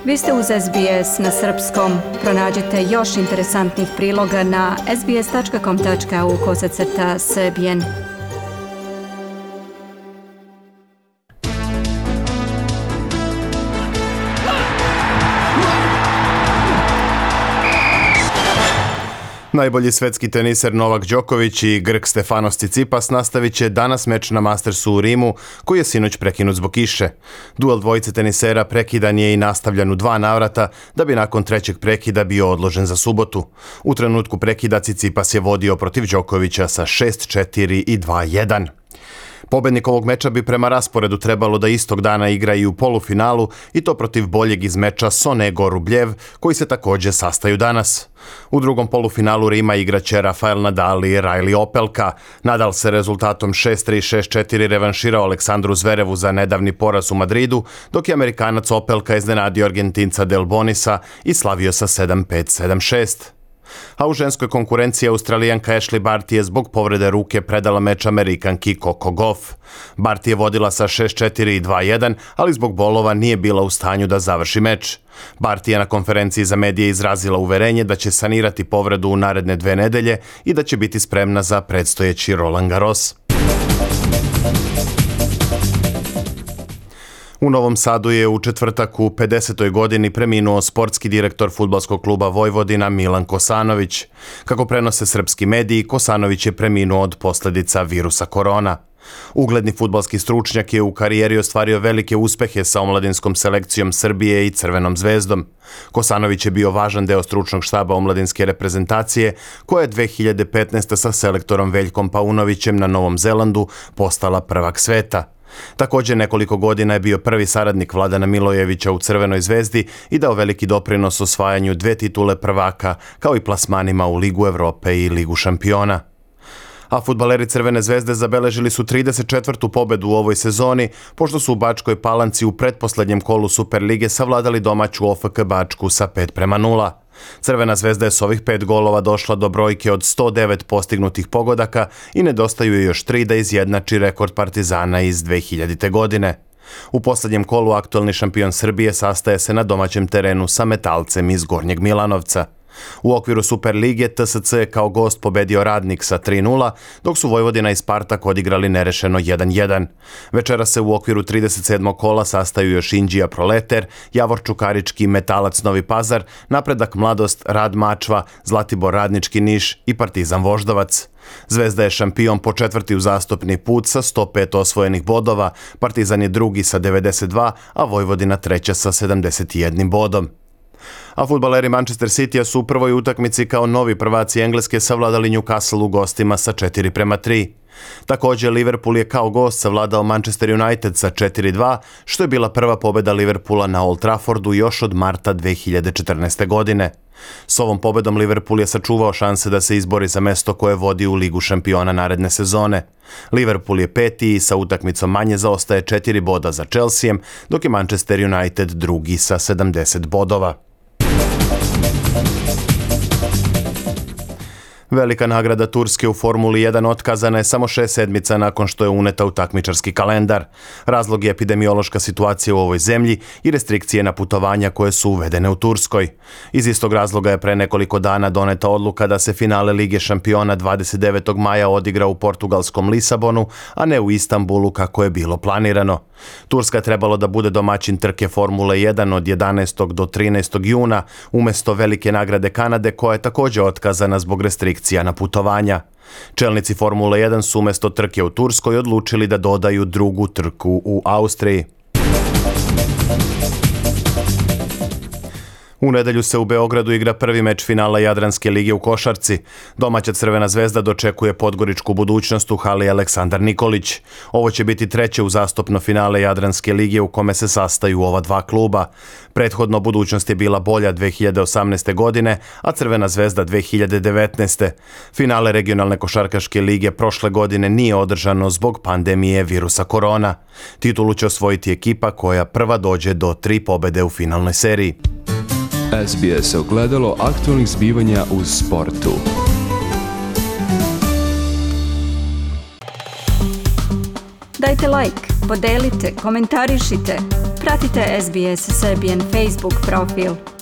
Vi ste uz SBS na srpskom. Pronađite još interesantnih priloga na sbs.com.au/srbijen. Najbolji svetski teniser Novak Đoković i Grk Stefanos Tsitsipas nastavit će danas meč na Mastersu u Rimu, koji je sinoć prekinut zbog kiše. Duel dvojice tenisera prekidan je i nastavljan u 2 navrata, da bi nakon trećeg prekida bio odložen za subotu. U trenutku prekida Tsitsipas je vodio protiv Đokovića sa 6-4 i 2-1. Pobednik ovog meča bi prema rasporedu trebalo da istog dana igra i u polufinalu, i to protiv boljeg iz meča Sonego Rubljev, koji se također sastaju danas. U drugom polufinalu Rima igraće Rafael Nadal i Riley Opelka. Nadal se rezultatom 6-3 i 6-4 revanširao Aleksandru Zverevu za nedavni poraz u Madridu, dok je Amerikanac Opelka iznenadio Argentinca Del Bonisa i slavio sa 7-5, 7-6. A u ženskoj konkurenciji Australijanka Ashley Barty je zbog povrede ruke predala meč Amerikanki Coco Gauff. Barty je vodila sa 6-4 i 2-1, ali zbog bolova nije bila u stanju da završi meč. Barty je na konferenciji za medije izrazila uverenje da će sanirati povredu u naredne 2 nedelje i da će biti spremna za predstojeći Roland Garros. U Novom Sadu je u četvrtak u 50. godini preminuo sportski direktor fudbalskog kluba Vojvodina Milan Kosanović. Kako prenose srpski mediji, Kosanović je preminuo od posljedica virusa korona. Ugledni fudbalski stručnjak je u karijeri ostvario velike uspehe sa omladinskom selekcijom Srbije i Crvenom zvezdom. Kosanović je bio važan deo stručnog štaba omladinske reprezentacije, koja je 2015. sa selektorom Veljkom Paunovićem na Novom Zelandu postala prvak sveta. Također nekoliko godina je bio prvi saradnik Vladana Milojevića u Crvenoj zvezdi i dao veliki doprinos osvajanju 2 titule prvaka, kao i plasmanima u Ligu Evrope i Ligu šampiona. A fudbaleri Crvene zvezde zabeležili su 34. pobedu u ovoj sezoni, pošto su u Bačkoj Palanci u pretposlednjem kolu Superlige savladali domaću OFK Bačku sa 5-0. Crvena zvezda je s ovih 5 golova došla do brojke od 109 postignutih pogodaka i nedostaju je još 3 da izjednači rekord Partizana iz 2000. godine. U posljednjem kolu aktualni šampion Srbije sastaje se na domaćem terenu sa Metalcem iz Gornjeg Milanovca. U okviru Superlige TSC je kao gost pobedio Radnik sa 3-0, dok su Vojvodina i Spartak odigrali nerešeno 1-1. Večera se u okviru 37. kola sastaju još Inđija Proleter, Javor Čukarički, Metalac Novi Pazar, Napredak Mladost, Rad Mačva, Zlatibor Radnički Niš i Partizan Voždovac. Zvezda je šampion po 4. uzastopni put sa 105 osvojenih bodova, Partizan je drugi sa 92, a Vojvodina treća sa 71 bodom. A fudbaleri Manchester Citya su u prvoj utakmici kao novi prvaci Engleske savladali Newcastle u gostima sa 4-3. Također Liverpool je kao gost savladao Manchester United sa 4-2, što je bila prva pobjeda Liverpoola na Old Traffordu još od marta 2014. godine. S ovom pobedom Liverpool je sačuvao šanse da se izbori za mesto koje vodi u Ligu šampiona naredne sezone. Liverpool je 5. i sa utakmicom manje zaostaje 4 boda za Chelseaem, dok je Manchester United drugi sa 70 bodova. Velika nagrada Turske u Formuli 1 otkazana je samo 6 sedmica nakon što je uneta u takmičarski kalendar. Razlog je epidemiološka situacija u ovoj zemlji i restrikcije na putovanja koje su uvedene u Turskoj. Iz istog razloga je pre nekoliko dana doneta odluka da se finale Lige šampiona 29. maja odigra u portugalskom Lisabonu, a ne u Istanbulu kako je bilo planirano. Turska je trebalo da bude domaćin trke Formule 1 od 11. do 13. juna, umjesto velike nagrade Kanade koja je također otkazana zbog restrikcija na putovanja. Čelnici Formule 1 su umjesto trke u Turskoj odlučili da dodaju drugu trku u Austriji. U nedelju se u Beogradu igra prvi meč finala Jadranske lige u košarci. Domaća Crvena zvezda dočekuje podgoričku Budućnost u hali Aleksandar Nikolić. Ovo će biti treće uzastopno finale Jadranske lige u kome se sastaju ova 2 kluba. Prethodno Budućnost je bila bolja 2018. godine, a Crvena zvezda 2019. Finale regionalne košarkaške lige prošle godine nije održano zbog pandemije virusa korona. Titulu će osvojiti ekipa koja prva dođe do 3 pobede u finalnoj seriji. SBS ogledalo aktualnih zbivanja u sportu. Dajte like, podelite, komentarišite. Pratite SBS Serbian Facebook profil.